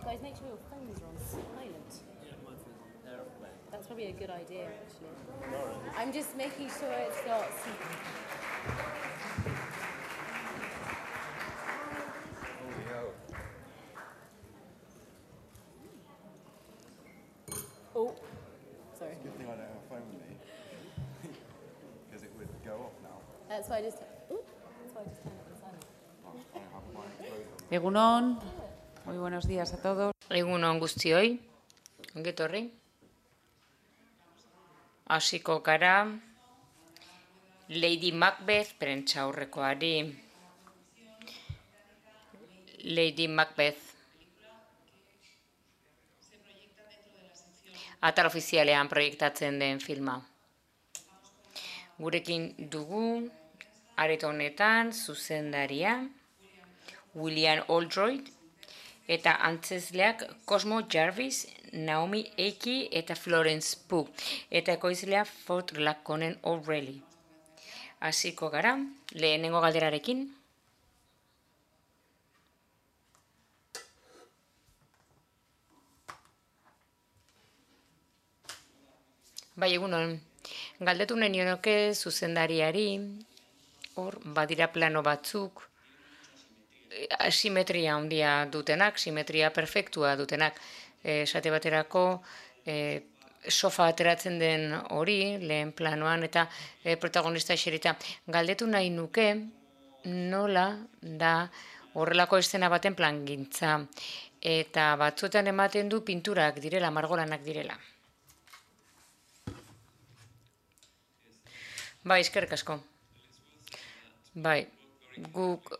Guys, make sure your phones are on silent. Yeah, my phone's on airplane. That's probably a good idea, actually. I'm just making sure it's not... Holy hell. Oh, sorry. It's a good thing I don't have a phone with me. Because it would go off now. That's why I just... Ooh, that's why I just turned it on silent. I don't have mine closed on. Egunon, muy buenos días a todos. Egunon guztioi, ongetorri. Hasiko gara Lady Macbeth prentsaurrekoari. Lady Macbeth. Atal ofizialean proiektatzen den filma. Gurekin dugu areto honetan zuzendaria William Oldroyd eta antzezleak Cosmo Jarvis, Naomi Ackie eta Florence Pugh, eta ekoizlea Fort Laconen O'Reilly. Hasiko gara, lehenengo galderarekin. Bai, egunon, galdetu nahi nioke zuzendariari, hor badira plano batzuk, simetria handia dutenak, simetria perfektua dutenak. Esate baterako sofa ateratzen den hori, lehen planoan, eta protagonista eserita. Galdetu nahi nuke nola da horrelako eszena baten plangintza. Eta batzuetan ematen du pinturak direla, margolanak direla. Bai, eskerrik asko. Bai. Guk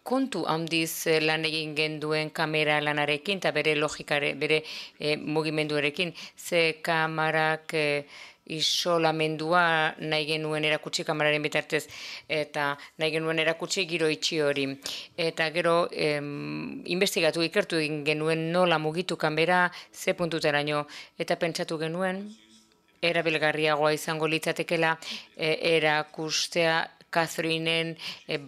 kontu handiz lan egin genduen kamera lanarekin eta bere logikare, bere mugimenduarekin. Ze kamarak isolamendua nahi genuen erakutsi kameraren bitartez eta nahi genuen erakutsi giro itxi hori. Eta gero investigatu ikertu egin genuen nola mugitu kamera ze puntuteraino eta pentsatu genuen erabilgarriagoa izango litzatekela erakustea Catherineen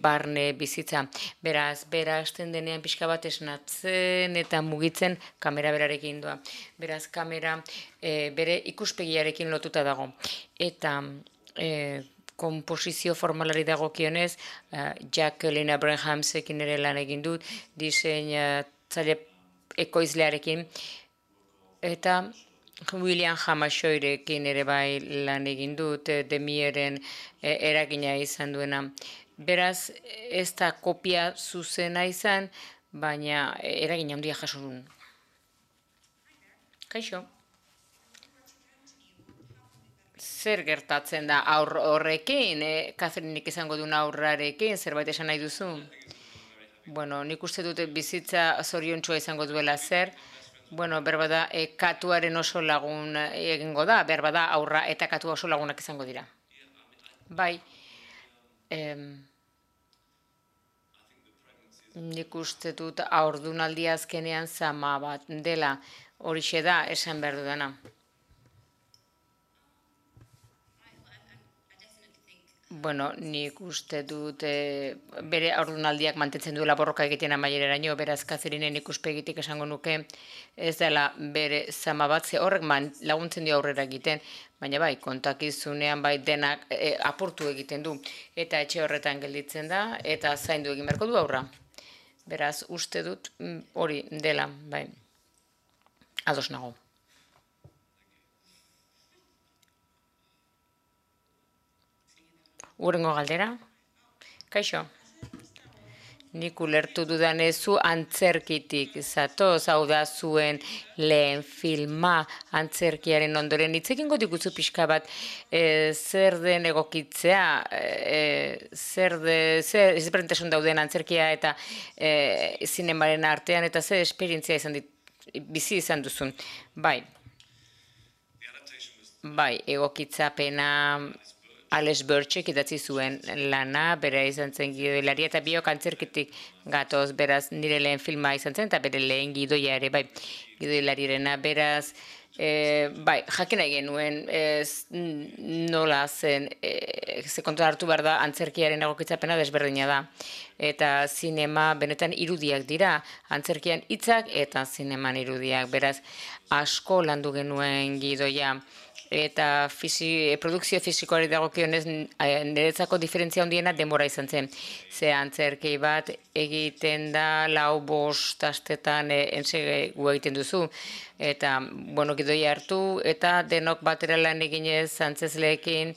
barne bizitza. Beraz, bera hasten denean pixka bat esnatzen eta mugitzen kamera berarekin doa. Beraz, kamera bere ikuspegiarekin lotuta dago. Eta komposizio formalari dagokionez, Jacqueline Abrahamsekin ere lan egin dut, diseinatzaile ekoizlearekin, eta William Hamashoirekin ere bai lan egin dut, Demieren eragina izan duena. Beraz, ez da kopia zuzena izan, baina eragina handia jaso duen. Kaixo. Zer gertatzen da aur horrekin, Catherinek izango duen aurrarekin, zerbait esan nahi duzu? Bueno, nik uste dute bizitza zoriontsua izango duela zer. Bueno, berbada katuaren oso lagun egingo da, berbada aurra eta katua oso lagunak izango dira. Bai, nik uste dut haurdunaldi azkenean zama bat dela, horixe da esan behar dudana. Bueno, nik uste dut bere haurdunaldiak mantentzen duela borroka egiten amaieraraino, beraz Catherinen ikuspegitik esango nuke ez dela bere zama bat, ze horrek laguntzen dio aurrera egiten, baina bai, kontakizunean bai denak apurtu egiten du, eta etxe horretan gelditzen da, eta zaindu egin beharko du aurra. Beraz, uste dut hori dela, bai, ados nago. Urrengo galdera. Kaixo. Nik ulertu dudanezu antzerkitik zatoz, hau da zuen lehen filma antzerkiaren ondoren. Hitz egingo diguzu pixka bat zer den egokitzea, zer ezberdintasun dauden antzerkia eta zinemaren artean, eta zer esperientzia bizi izan duzun. Bai, egokitzapena Alex Birchek idatzi zuen lana, bera izan zen gidoilaria eta biok antzerkitik gatoz, beraz nire lehen filma izan zen, eta bere lehen gidoia ere, bai, gidoilariarena, beraz, bai, jakin nahi genuen nola zen, ze kontuan hartu behar da antzerkiaren egokitzapena desberdina da. Eta zinema benetan irudiak dira, antzerkian hitzak eta zineman irudiak, beraz asko landu genuen gidoia. Eta produkzio fisikoari dagokionez niretzako diferentzia handiena denbora izan zen. Ze antzerki bat egiten da 4-5 astetan gu egiten duzu. Eta, bueno, gidoia hartu eta denok batera lan eginez antzezleekin,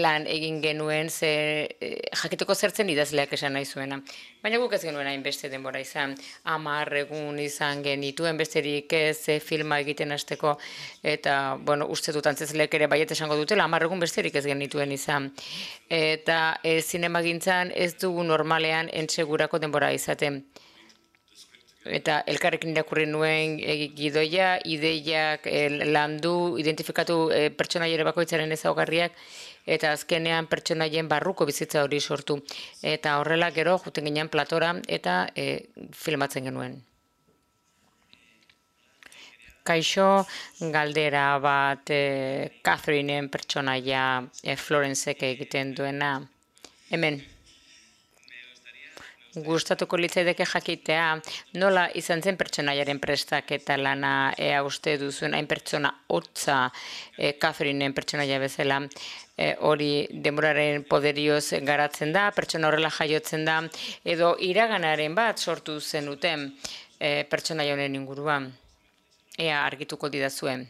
lan egin genuen jakiteko zertzen idazleak esan nahi zuena. Baina guk ez genuen hainbeste denbora izan, 10 egun izan genituen besterik ez filma egiten hasteko, eta, bueno, uste dut antzezleek ere baiet esango dutela, 10 egun besterik ez genituen izan. Eta zinemagintzan ez dugu normalean entsegurako denbora izaten. Eta elkarrekin irakurri nuen gidoia, ideiak landu, identifikatu pertsonaia bakoitzaren ezaugarriak, eta azkenean pertsonaien barruko bizitza hori sortu. Eta horrela gero juten ginen platora eta filmatzen genuen. Kaixo, galdera bat Catherineen pertsonaia Florencek egiten duena. Hemen. Gustatuko litzaidake jakitea nola izan zen pertsonaiaren prestaketa lana uste duzuen hain pertsona hotza Catherineen pertsonaia bezala hori denboraren poderioz garatzen da, pertsona horrela jaiotzen da, edo iraganaren bat sortu zenuten pertsonaia honen inguruan. Ea argituko didazuen.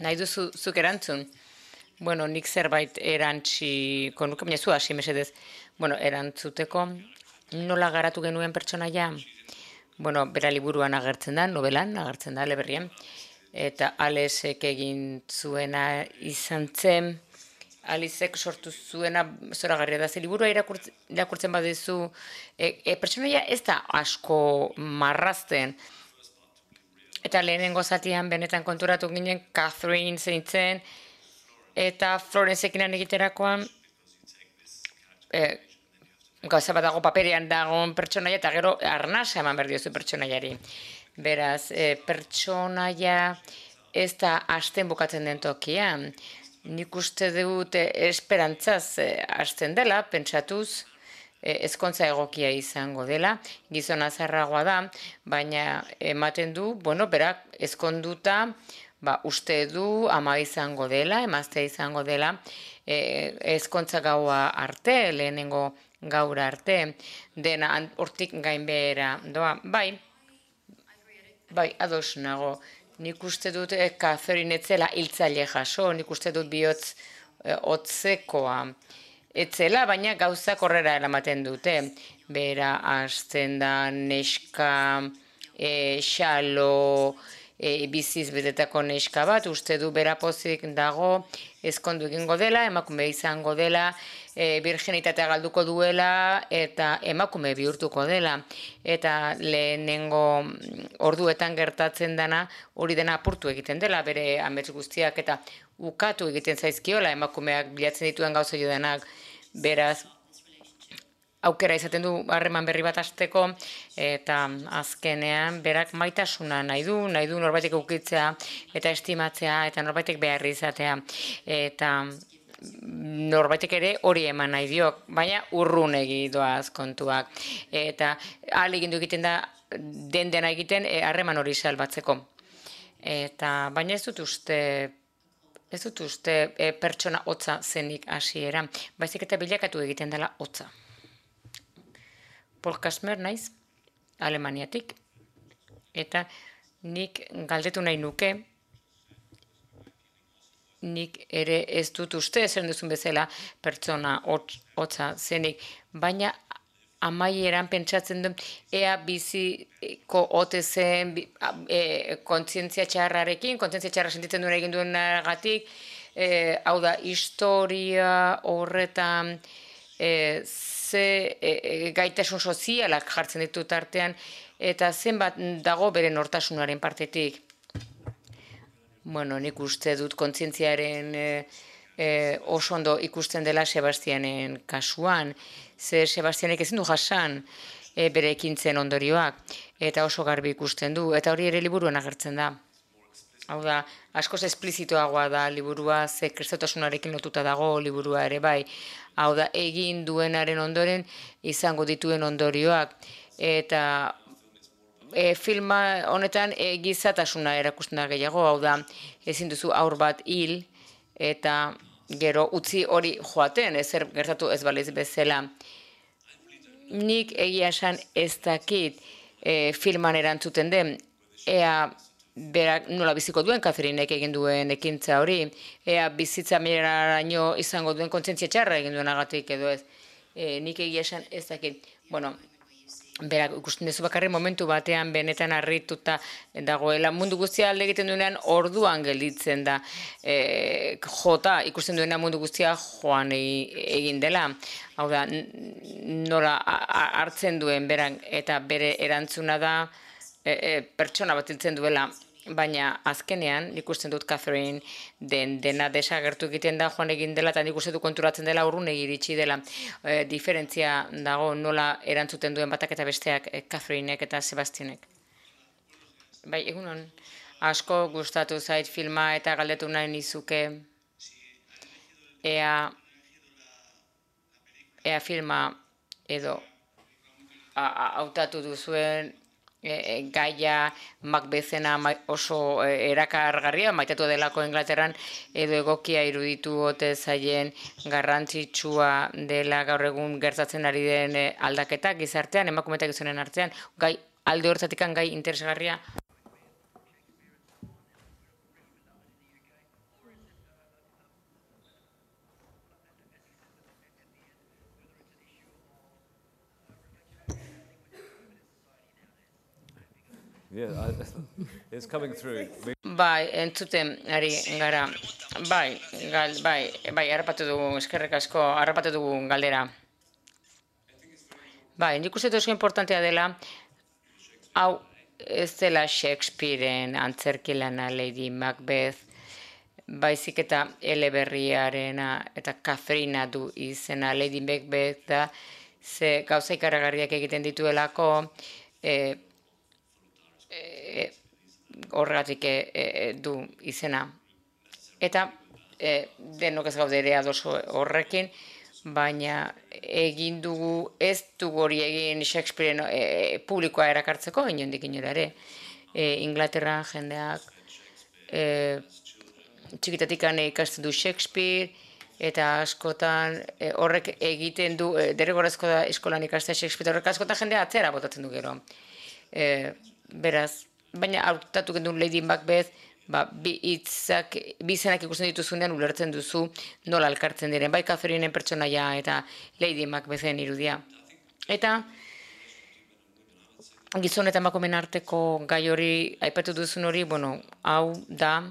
Nahi duzu zuk erantzun? Bueno, nik zerbait erantziko nuke, baina zu hasi mesedez. Bueno, erantzuteko nola garatu genuen pertsonaia? Bueno, bera liburuan agertzen da, novelan agertzen da, eleberrian. Eta Alexek egin zuena izan zen, Alexek sortu zuena zoragarria da. Ze liburua irakurtzen baduzu, pertsonaia ez da asko marrazten. Eta lehenengo zatian benetan konturatu ginen Catherine zeintzen, eta Florencekin egiterakoan gauza bat dago paperean dagoen pertsonaia, eta gero arnasa eman behar diozu pertsonaiari. Beraz, pertsonaia ez da hasten bukatzen den tokian. Nik uste dut esperantzaz hasten dela, pentsatuz, ezkontza egokia izango dela, gizona zarragoa da, baina ematen du, bueno, berak ezkonduta, uste du ama izango dela, emaztea izango dela, ezkontza gaua arte, lehenengo gaura arte, dena hortik gainbehera doa. Bai, ados nago. Nik uste dut Catherine etzela hiltzaile jaso, nik uste dut bihotz hotzekoa. Etzela, baina gauzak horrela eramaten dute. Bera, hasten da neska, xalo, biziz betetako neska bat, uste du bera pozik dago, ezkondu egingo dela, emakume izango dela, virginitatea galduko duela, eta emakume bihurtuko dela. Eta lehenengo orduetan gertatzen dena, hori dena apurtu egiten dela, bere amets guztiak, eta ukatu egiten zaizkiola, emakumeak bilatzen dituen gauza jodenak, beraz, aukera izaten du harreman berri bat hasteko, eta azkenean berak maitasuna nahi du norbaitek ukitzea, eta estimatzea, eta norbaitek beharri izatea, eta norbaitek ere hori eman nahi dio, baina urrunegi doaz kontuak, eta ahal egindu egiten da, dena egiten harreman hori salbatzeko. Eta, baina ez dut uste pertsona hotza zenik hasiera, baizik eta bilakatu egiten dela hotza. Paul Kasmer naiz, Alemaniatik, eta nik galdetu nahi nuke, nik ere ez dut uste, zer duzun bezala pertsona hotza zenik, baina amaieran pentsatzen du, ea biziko ote zen kontzientzia txarrarekin, kontzientzia txarra sentitzen duen egin duenagatik, hau da, historia horretan ze gaitasun sozialak jartzen ditu tartean, eta zenbat dago bere nortasunaren partetik. Bueno, nik uste dut kontzientziaren oso ondo ikusten dela Sebastianen kasuan, ze Sebastianek ezin du jasan bere ekintzen ondorioak, eta oso garbi ikusten du, eta hori ere liburuan agertzen da. Hau da, askoz esplizitoagoa da liburua, ze kristotasunarekin lotuta dago liburua ere bai. Hau da, egin duenaren ondoren izango dituen ondorioak, eta filma honetan gizatasuna erakusten da gehiago, hau da, ezin duzu aur bat hil, eta gero utzi hori joaten, ezer gertatu ez baliz bezala. Nik egia esan ez dakit filman erantzuten den, ea berak nola biziko duen Catherinek egin duen ekintza hori, ea bizitza meraraino izango duen kontzientzia txarra egin duenagatik edo ez. Nik egia esan ez dakit, bueno, berak ikusten duzu bakarri momentu batean benetan harrituta dagoela, mundu guztia alde egiten duenean orduan gelditzen da, jota ikusten duena mundu guztia joan egin dela. Hau da, nola hartzen duen berak eta bere erantzuna da pertsona bat hiltzen duela, baina azkenean ikusten dut Catherine dena desagertu egiten da joan egin dela, eta nik uste dut konturatzen dela urrun iritsi dela. Diferentzia dago nola erantzuten duen batak eta besteak Catherinek eta Sebastianek. Bai, egunon, asko gustatu zait filma eta galdetu nahi nizuke ea filma edo hautatu duzuen gaia Macbethena oso erakargarria, maitatu delako Inglaterran, edo egokia iruditu ote zaien garrantzitsua dela gaur egun gertatzen ari den aldaketak gizartean, emakume eta gizonen artean, gai alde hortzatik gai interesgarria. It's coming through. Bai, entzuten ari gara. Bai, harrapatu dugu, eskerrik asko, harrapatu dugu galdera. Bai, nik uste oso importantea dela, hau ez dela Shakespearen antzerki lana Lady Macbeth, baizik eta eleberriarena eta Katharina du izena. Lady Macbeth da, ze gauza ikaragarriak egiten dituelako, horregatik du izena. Eta denok ez gaude ere ados horrekin, baina egin dugu, ez dugu hori egin Shakespearen publikoa erakartzeko, inondik inora ere. Inglaterran jendeak txikitatik ikasten du Shakespeare, eta askotan horrek egiten du, derrigorrezko da eskolan ikastea Shakespeare, horrek askotan jendea atzera botatzen du gero. Beraz, baina hautatu gendun Lady Macbeth, bi izenak ikusten dituzunean ulertzen duzu nola elkartzen diren, bai Catherinen pertsonaia eta Lady Macbethen irudia. Eta gizon eta emakumeen arteko gai hori, aipatu duzun hori, bueno, hau da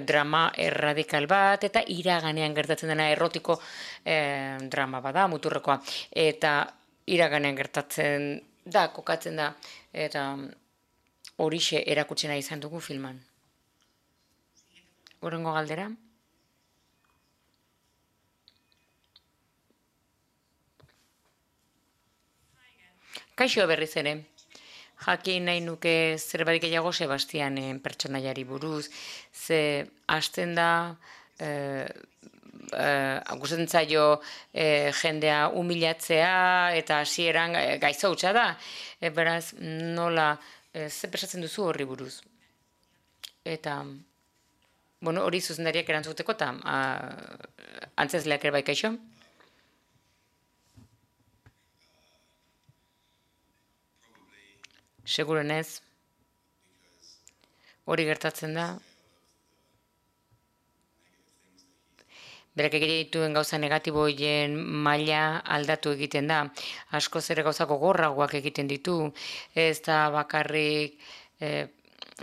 drama erradikal bat, eta iraganean gertatzen dena errotiko drama bada, muturrekoa, eta iraganean gertatzen da, kokatzen da, eta horixe erakutsena izan dugu filman. Hurrengo galdera. Kaixo berriz ere. Jakin nahi nuke zerbait gehiago Sebastianen pertsonaiari buruz, ze hasten da gustatzen zaio jendea humilatzea eta hasieran gaizto hutsa da. Beraz, nola ze pensatzen duzu horri buruz? Eta, bueno, hori zuzendariak erantzuteko eta antzezleak ere bai kaixo? Segurenez, hori gertatzen da. Berak egite dituen gauza negatibo horien maila aldatu egiten da. Askoz ere gauza gogorragoak egiten ditu. Ez da bakarrik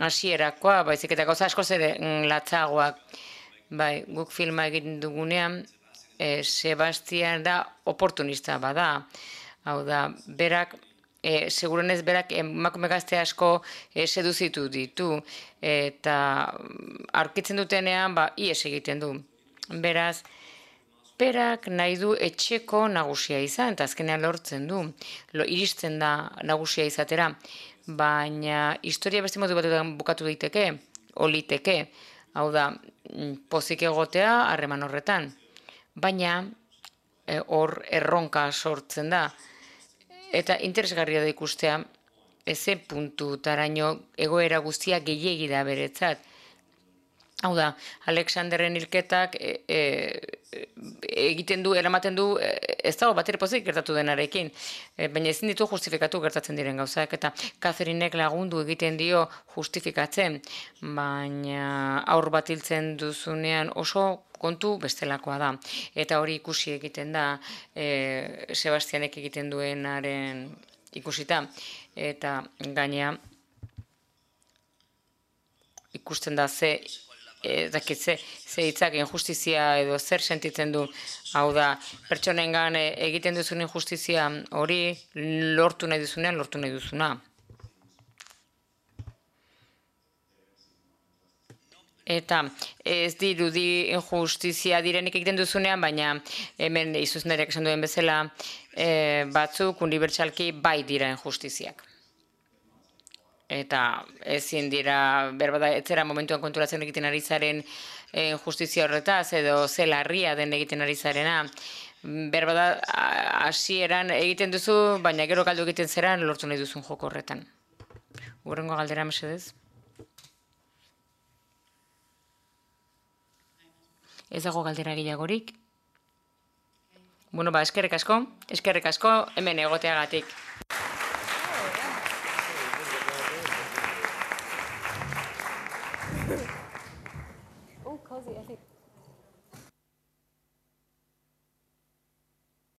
hasierakoa, baizik eta gauza askoz ere latzagoak. Bai, guk filma egiten dugunean, Sebastian da oportunista bada. Hau da, berak, segurenez berak emakume gazte asko seduzitu ditu, eta aurkitzen dutenean, ies egiten du. Beraz, berak nahi du etxeko nagusia izan, eta azkenean lortzen du, iristen da nagusia izatera, baina historia beste modu batetan bukatu daiteke, oliteke, hau da, pozik egotea harreman horretan, baina hor erronka sortzen da, eta interesgarria da ikustea, ze puntutaraino egoera guztia gehiegi da beretzat. Hau da, Alexanderren hilketak eramaten du, ez dago batere pozik gertatu denarekin, baina ezin ditu justifikatu gertatzen diren gauzak, eta Catherinek lagundu egiten dio justifikatzen, baina aur bat hiltzen duzunean oso kontu bestelakoa da. Eta hori ikusi egiten da Sebastianek egiten duenaren ikusita, eta gainea ikusten da ze hitzak injustizia edo zer sentitzen du, hau da, pertsonengan egiten duzun injustizia hori lortu nahi duzunean, lortu nahi duzuna. Eta ez dirudi injustizia direnik egiten duzunean, baina hemen izuzenariak esan duen bezala batzuk unibertsalki bai dira injustiziak. Eta ezin dira, berbada, etzera momentuan konturatzen egiten ari zaren justizia horretaz, edo ze larria den egiten ari zarena. Berbada, hasieran egiten duzu, baina gero galdu egiten zeran lortu nahi duzun joko horretan. Hurrengo galdera, mesedez? Ez dago galdera gehiagorik? Bueno, eskerrik asko, hemen egoteagatik.